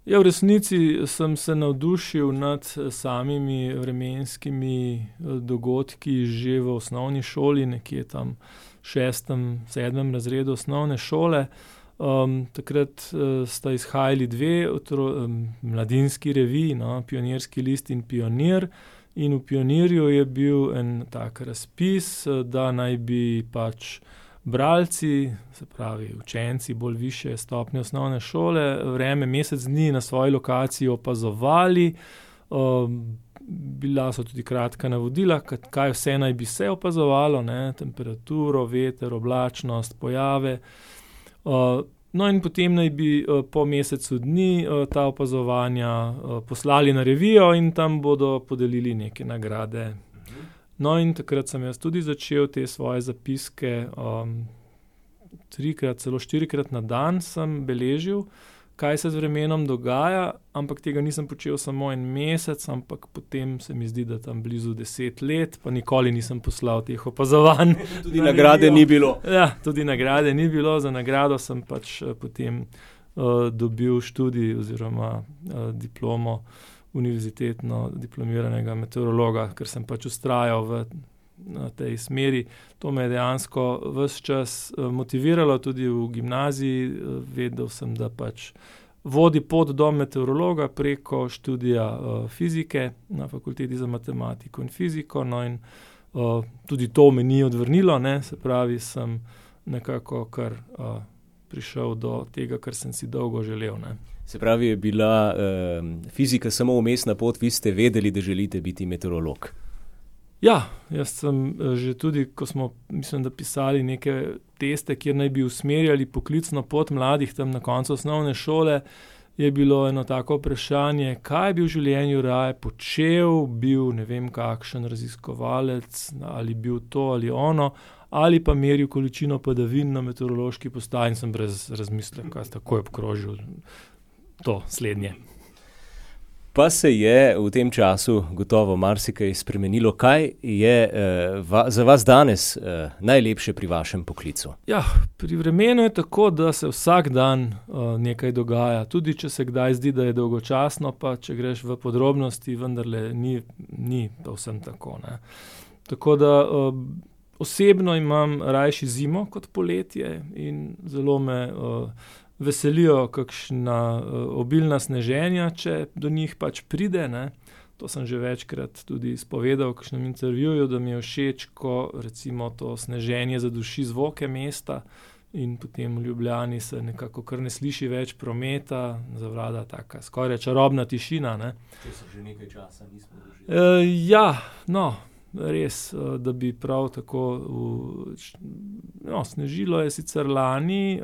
Ja, v resnici sem se navdušil nad samimi vremenskimi dogodki že v osnovni šoli, nekje tam v 6., 7. razredu osnovne šole. Takrat sta izhajali dve mladinski reviji, no, Pionirski list in Pionir. In v Pionirju je bil en tak razpis, da naj bi pač bralci, se pravi učenci bolj višje stopnje osnovne šole, vreme mesec dni na svoji lokaciji opazovali. Bila so tudi kratka navodila, kaj vse naj bi se opazovalo, ne, temperaturo, veter, oblačnost, pojave. No, in potem naj bi po mesecu dni ta opazovanja poslali na revijo in tam bodo podelili neke nagrade. No, in takrat sem jaz tudi začel te svoje zapiske, 3-krat, celo 4-krat na dan sem beležil, kaj se z vremenom dogaja, ampak tega nisem počel samo en mesec, ampak potem se mi zdi, da tam blizu 10 let, pa nikoli nisem poslal teh opazovanj. Tudi nagrade ni bilo. Ja, tudi nagrade ni bilo, za nagrado sem pač potem dobil študij oziroma diplomo univerzitetno diplomiranega meteorologa, ker sem pač vztrajal na tej smeri. To me je dejansko ves čas motiviralo, tudi v gimnaziji. Vedel sem, da pač vodi pot do meteorologa preko študija fizike na Fakulteti za matematiko in fiziko. No, in tudi to me ni odvrnilo, ne, se pravi, sem nekako kar prišel do tega, kar sem si dolgo želel, ne. Se pravi, je bila fizika samo vmesna pot, vi ste vedeli, da želite biti meteorolog? Ja, jaz sem že tudi, ko smo, mislim, da pisali neke teste, kjer naj bi usmerjali poklicno pot mladih tam na koncu osnovne šole, je bilo eno tako vprašanje, kaj bi v življenju raje počel, bil ne vem kakšen raziskovalec, ali bil to ali ono, ali pa meril količino padavin na meteorološki postaji, in sem brez razmisleka takoj obkrožil to slednje. Pa se je v tem času gotovo marsikaj spremenilo. Kaj je za vas danes najlepše pri vašem poklicu? Ja, pri vremenu je tako, da se vsak dan nekaj dogaja. Tudi če se kdaj zdi, da je dolgočasno, pa če greš v podrobnosti, vendarle ni povsem tako, ne. Tako da osebno imam rajši zimo kot poletje in zelo me veselijo kakšna obilna sneženja, če do njih pač pride, ne. To sem že večkrat tudi izpovedal v kakšnem intervjuju, da mi je všeč, ko recimo to sneženje zaduši zvoke mesta in potem v Ljubljani se nekako kar ne sliši več prometa, zavlada taka skoraj čarobna tišina, ne. Če se že nekaj časa nismo doživeli. Ja, no, res, da bi prav tako snežilo je sicer lani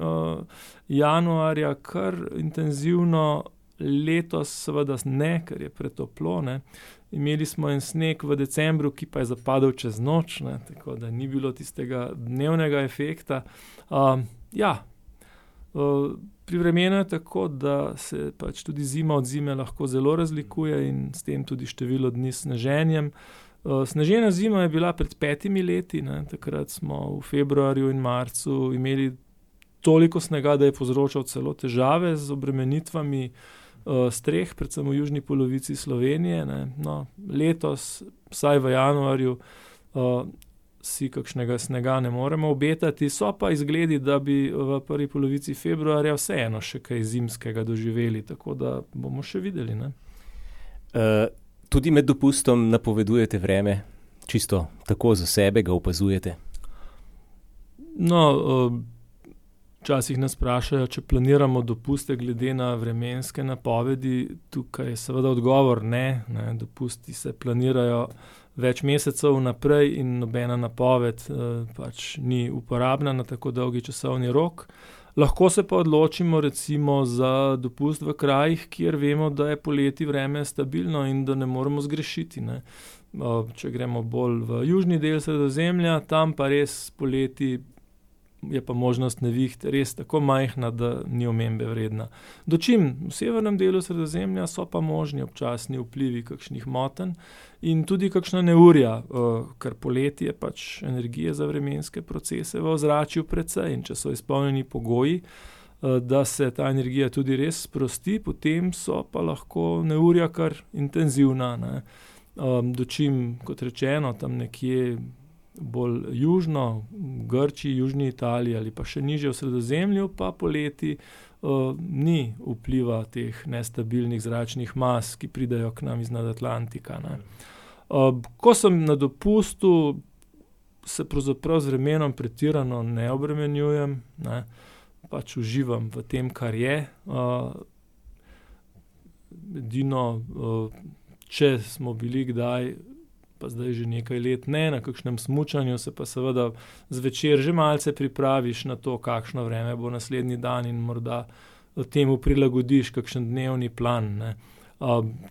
januarja kar intenzivno, letos seveda ne, ker je pretoplo, ne. Imeli smo en sneg v decembru, ki pa je zapadel čez noč, ne, tako da ni bilo tistega dnevnega efekta. Pri vremenu je tako, da se pač tudi zima od zime lahko zelo razlikuje in s tem tudi število dni s sneženjem. Snežena zima je bila pred 5 leti, ne, takrat smo v februarju in marcu imeli toliko snega, da je povzročal celo težave z obremenitvami streh, predvsem v južni polovici Slovenije, ne. No, letos, vsaj v januarju, si kakšnega snega ne moremo obetati, so pa izgledi, da bi v prvi polovici februarja vseeno še kaj zimskega doživeli, tako da bomo še videli, ne. Tudi med dopustom napovedujete vreme, čisto tako za sebe ga opazujete? No, včasih nas vprašajo, če planiramo dopuste glede na vremenske napovedi. Tukaj je seveda odgovor ne. Dopusti se planirajo več mesecev vnaprej in nobena napoved pač ni uporabna na tako dolgi časovni rok. Lahko se pa odločimo recimo za dopust v krajih, kjer vemo, da je poleti vreme stabilno in da ne moremo zgrešiti, ne. Če gremo bolj v južni del Sredozemlja, tam pa res poleti je pa možnost neviht res tako majhna, da ni omembe vredna. Dočim v severnem delu Sredozemlja so pa možni občasni vplivi kakšnih motenj in tudi kakšna neurja, ker poleti je pač energije za vremenske procese v ozračju precej in če so izpolnjeni pogoji, da se ta energija tudi res sprosti, potem so pa lahko neurja kar intenzivna, ne. Dočim, kot rečeno, tam nekje bolj južno, v Grčiji, južni Italiji ali pa še nižje v Sredozemlju, pa poleti ni vpliva teh nestabilnih zračnih mas, ki pridejo k nam iz Atlantika, ne. Ko sem na dopustu, se pravzaprav z vremenom pretirano ne obremenjujem, ne. Pač uživam v tem, kar je. Edino, če smo bili kdaj, pa zdaj že nekaj let ne, na kakšnem smučanju, se pa seveda zvečer že malce pripraviš na to, kakšno vreme bo naslednji dan in morda temu prilagodiš kakšen dnevni plan, ne.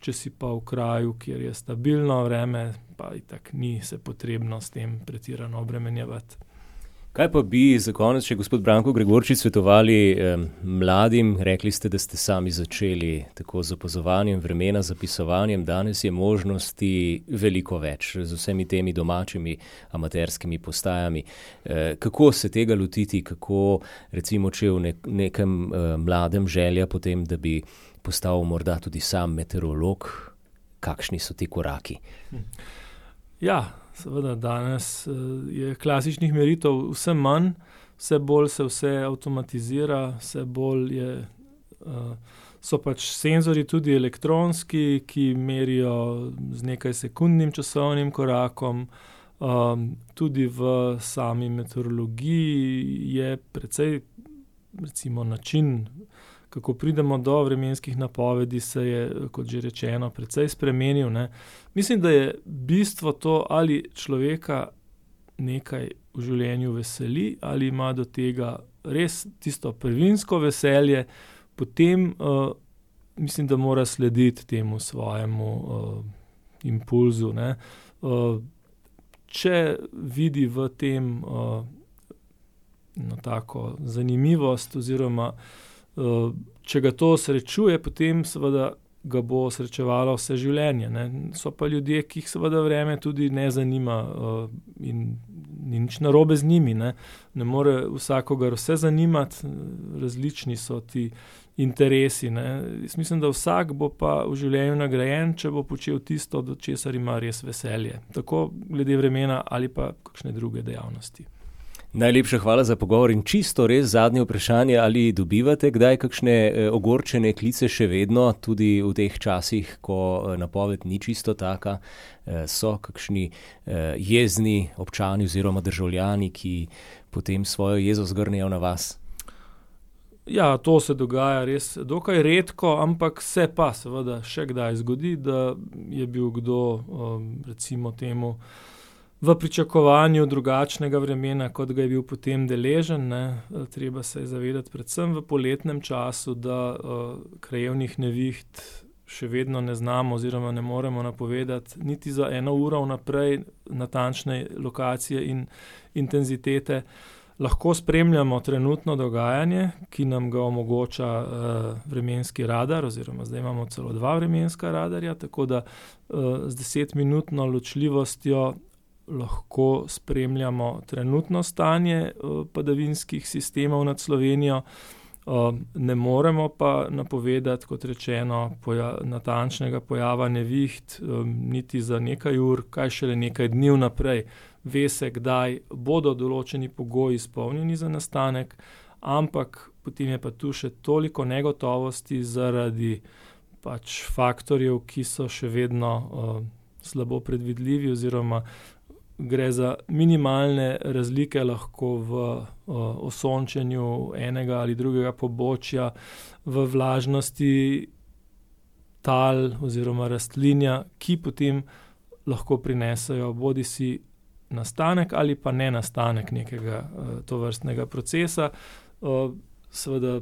Če si pa v kraju, kjer je stabilno vreme, pa itak ni se potrebno s tem pretirano obremenjevati. Kaj pa bi za konec še gospod Branko Gregorčič svetovali mladim? Rekli ste, da ste sami začeli tako z opazovanjem vremena, zapisovanjem. Danes je možnosti veliko več z vsemi temi domačimi amaterskimi postajami. Kako se tega lotiti? Kako recimo, če v nekem mladem želja potem, da bi postal morda tudi sam meteorolog? Kakšni so ti koraki? Ja, seveda danes je klasičnih meritev vse manj, vse bolj se vse avtomatizira, vse bolj so pač senzorji tudi elektronski, ki merijo z nekaj sekundnim časovnim korakom. Tudi v sami meteorologiji je precej, recimo, način, kako pridemo do vremenskih napovedi, se je, kot že rečeno, precej spremenil, ne. Mislim, da je bistvo to, ali človeka nekaj v življenju veseli, ali ima do tega res tisto prvinsko veselje, potem mislim, da mora slediti temu svojemu impulzu, ne. Če vidi v tem tako zanimivost oziroma če ga to srečuje, potem seveda ga bo srečevalo vse življenje, ne. So pa ljudje, ki jih seveda vreme tudi ne zanima in ni nič narobe z njimi, ne. Ne more vsakogar vse zanimati, različni so ti interesi, ne. Jaz mislim, da vsak bo pa v življenju nagrajen, če bo počel tisto, do česar ima res veselje. Tako glede vremena ali pa kakšne druge dejavnosti. Najlepša hvala za pogovor in čisto res zadnje vprašanje, ali dobivate kdaj kakšne ogorčene klice še vedno, tudi v teh časih, ko napoved ni čisto taka, so kakšni jezni občani oziroma državljani, ki potem svojo jezo zgrnejo na vas? Ja, to se dogaja res dokaj redko, ampak se pa seveda še kdaj zgodi, da je bil kdo, recimo temu, v pričakovanju drugačnega vremena, kot ga je bil potem deležen, ne. Treba se je zavedati predvsem v poletnem času, da krajevnih neviht še vedno ne znamo oziroma ne moremo napovedati niti za 1 uro vnaprej natančne lokacije in intenzitete. Lahko spremljamo trenutno dogajanje, ki nam ga omogoča vremenski radar, oziroma zdaj imamo celo 2 vremenska radarja, tako da z 10-minutno ločljivostjo lahko spremljamo trenutno stanje padavinskih sistemov nad Slovenijo. Ne moremo pa napovedati, kot rečeno, natančnega pojava neviht, niti za nekaj ur, kaj šele nekaj dni vnaprej. Ve se, kdaj bodo določeni pogoji izpolnjeni za nastanek, ampak potem je pa tu še toliko negotovosti zaradi pač faktorjev, ki so še vedno slabo predvidljivi oziroma gre za minimalne razlike lahko v osončenju enega ali drugega pobočja, v vlažnosti tal oziroma rastlinja, ki potem lahko prinesejo bodisi nastanek ali pa nenastanek nekega tovrstnega procesa. Seveda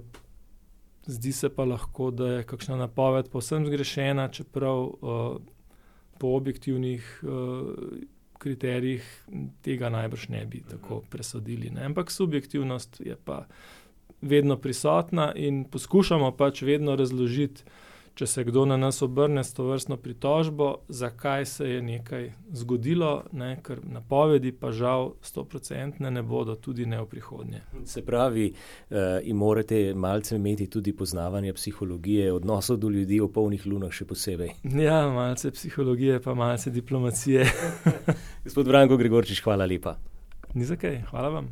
zdi se pa lahko, da je kakšna napoved povsem zgrešena, čeprav po objektivnih kriterijih tega najbrž ne bi tako presodili, ne. Ampak subjektivnost je pa vedno prisotna in poskušamo pač vedno razložiti če se kdo na nas obrne s tovrstno pritožbo, zakaj se je nekaj zgodilo, ne, ker napovedi pa žal 100% ne bodo, tudi ne v prihodnje. Se pravi, in morate malce imeti tudi poznavanje psihologije, odnosov do ljudi v polnih lunah še posebej. Ja, malce psihologije pa malce diplomacije. Gospod Branko Gregorčič, hvala lepa. Ni za kaj, hvala vam.